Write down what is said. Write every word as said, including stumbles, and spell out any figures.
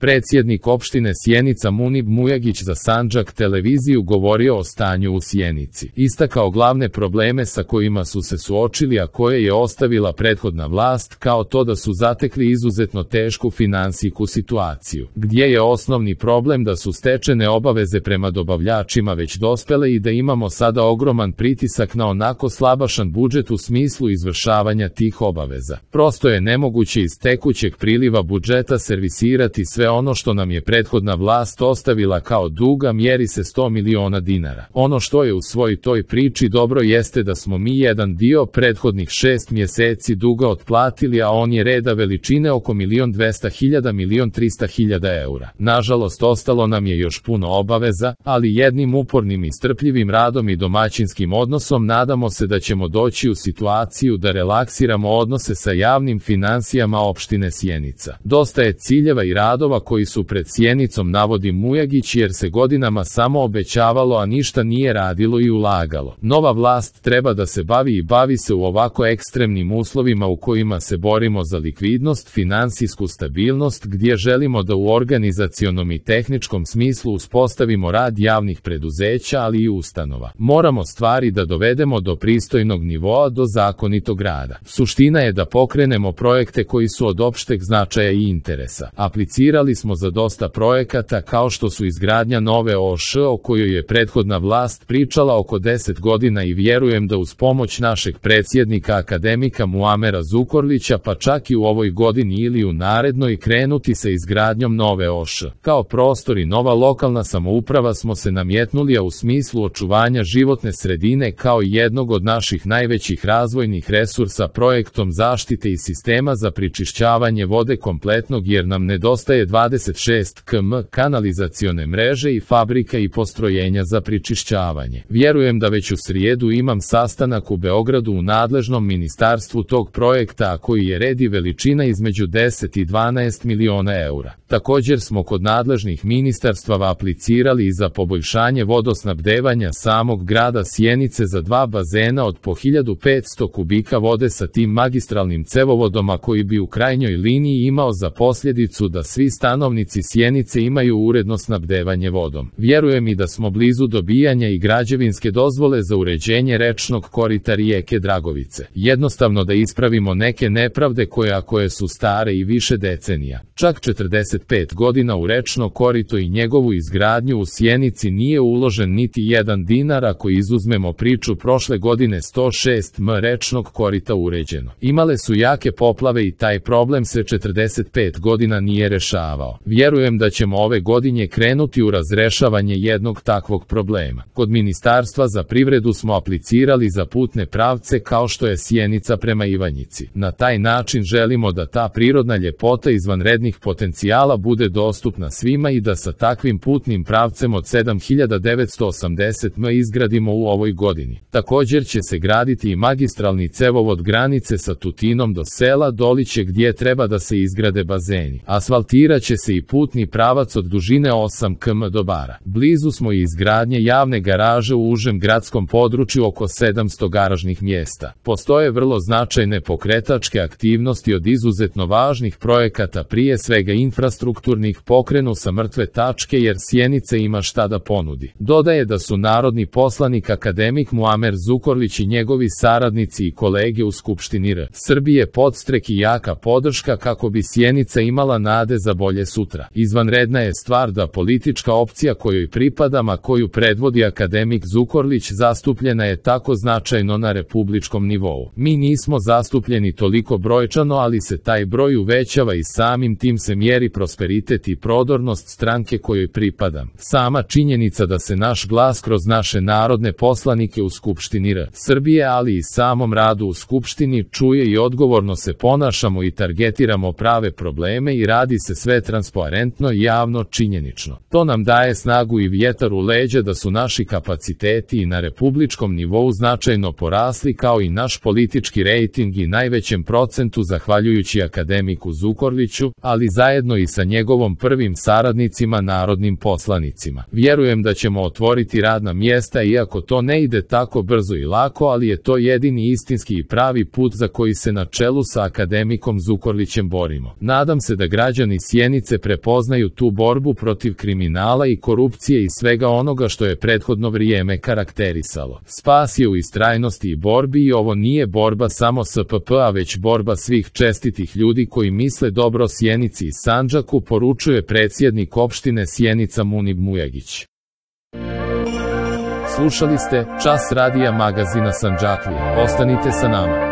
Predsjednik opštine Sjenica Munib Mujagić za Sandžak televiziju govorio o stanju u Sjenici. Istakao glavne probleme sa kojima su se suočili, a koje je ostavila prethodna vlast, kao to da su zatekli izuzetno tešku finansijsku situaciju, gdje je osnovni problem da su stečene obaveze prema dobavljačima već dospele i da imamo sada ogroman pritisak na onako slabašan budžet u smislu izvršavanja tih obaveza. Prosto je nemoguće iz tekućeg priliva budžeta servisirati sve ono što nam je prethodna vlast ostavila kao duga, mjeri se sto miliona dinara. Ono što je u svoj toj priči dobro jeste da smo mi jedan dio prethodnih šest mjeseci duga otplatili, a on je reda veličine oko milion dvesta hiljada, milion trista hiljada eura. Nažalost, ostalo nam je još puno obaveza, ali jednim upornim i strpljivim radom i domaćinskim odnosom nadamo se da ćemo doći u situaciju da relaksiramo odnose sa javnim finansijama opštine Sjenica. Dosta je ciljeva i radova koji su pred Sjenicom, navodi Mujagić, jer se godinama samo obećavalo, a ništa nije radilo i ulagalo. Nova vlast treba da se bavi i bavi se u ovako ekstremnim uslovima u kojima se borimo za likvidnost, finansijsku stabilnost, gdje želimo da u organizacionom i tehničkom smislu uspostavimo rad javnih preduzeća, ali i ustanova. Moramo stvari da dovedemo do pristojnog nivoa, do zakonitog rada. Suština je da pokrenemo projekte koji su od opšteg značaja i interesa. Aplicirali smo za dosta projekata, kao što su izgradnja nove O Š o kojoj je prethodna vlast pričala oko deset godina, i vjerujem da uz pomoć našeg predsjednika akademika Muamera Zukorlića, pa čak i u ovoj godini ili u narednoj, krenuti sa izgradnjom nove O Š. Kao prostor i nova lokalna samouprava smo se namjetnuli, a u smislu očuvanja životne sredine kao jednog od naših najvećih razvojnih resursa projektom zaštite i sistema za pričišćavanje vode kompletnog, jer nam nedostaje dvadeset šest kilometara kanalizacione mreže i fabrika i postrojenja za pričišćavanje. Vjerujem da već u srijedu imam sastanak u Beogradu u nadležnom ministarstvu tog projekta, a koji je red i veličina između deset i dvanaest miliona eura. Također smo kod nadležnih ministarstava aplicirali i za poboljšanje vodosnabdevanja samog grada Sjenice za dva bazena od po hiljadu petsto kubika vode sa tim magistralnim cevovodom, a koji bi u krajnjoj liniji imao za posljedicu da svi stanovnici Sjenice imaju uredno snabdevanje vodom. Vjerujem i da smo blizu dobijanja i građevinske dozvole za uređenje rečnog korita rijeke Dragovice. Jednostavno da ispravimo neke nepravde koje, a koje su stare i više decenija. Čak četrdeset pet godina u rečno korito i njegovu izgradnju u Sjenici nije uložen niti jedan dinar, ako izuzmemo priču prošle godine sto šest miliona rečnog korita uređeno. Imale su jake poplave i taj problem se četrdeset pet godina nije rešavao. Vjerujem da ćemo ove godine krenuti u razrešavanje jednog takvog problema. Kod Ministarstva za privredu smo aplicirali za putne pravce kao što je Sjenica prema Ivanjici. Na taj način želimo da ta prirodna ljepota izvanrednih potencijala bude dostupna svima i da sa takvim putnim pravcem od sedam hiljada devetsto osamdeset metara izgradimo u ovoj godini. Također će se graditi i magistralni cevovod granice sa Tutinom do sela Doliće, gdje treba da se izgrade bazeni. Asfaltirat će se i putni pravac od dužine osam kilometara do Bara. Blizu smo i izgradnje javne garaže u užem gradskom području, oko sedamsto garažnih mjesta. Postoje vrlo značajne pokretačke aktivnosti od izuzetno važnih projekata, prije svega infrastrukturnih, pokrenu sa mrtve tačke, jer Sjenica ima šta da ponudi. Dodaje da su narodni poslanik akademik Muamer Zukorlić i njegovi saradnici i kolege u Skupštini R Srbije podstrek i jaka podrška kako bi Sjenica imala nade za bolje sutra. Izvanredna je stvar da politička opcija kojoj pripadam, a koju predvodi akademik Zukorlić, zastupljena je tako značajno na republičkom nivou. Mi nismo zastupljeni toliko brojčano, ali se taj broj uvećava i samim tim se mjeri prosperitet i prodornost stranke kojoj pripadam. Sama činjenica da se naš glas kroz naše narodne poslanike u Skupštini R Srbije, ali i samom radu u Skupštini, čuje i odgovorno se ponašamo i targetiramo prave probleme i radi se sve transparentno, javno, činjenično. To nam daje snagu i vjetar u leđa da su naši kapaciteti i na republičkom nivou značajno porasli, kao i naš politički rejting i najvećem procentu zahvaljujući akademiku Zukorliću, ali zajedno i sa njegovom prvim saradnicima, narodnim poslanicima. Vjerujem da ćemo otvoriti radna mjesta, iako to ne ide tako brzo i lako, ali je to jedini istinski i pravi put za koji se na čelu sa akademikom Zukorlićem borimo. Nadam se da građani Sjenice Sjenice prepoznaju tu borbu protiv kriminala i korupcije i svega onoga što je prethodno vrijeme karakterisalo. Spas je u istrajnosti i borbi i ovo nije borba samo S P P, a već borba svih čestitih ljudi koji misle dobro Sjenici i Sandžaku, poručuje predsjednik opštine Sjenica Munib Mujagić. Slušali ste Čas radija magazina Sandžaklija. Ostanite sa nama.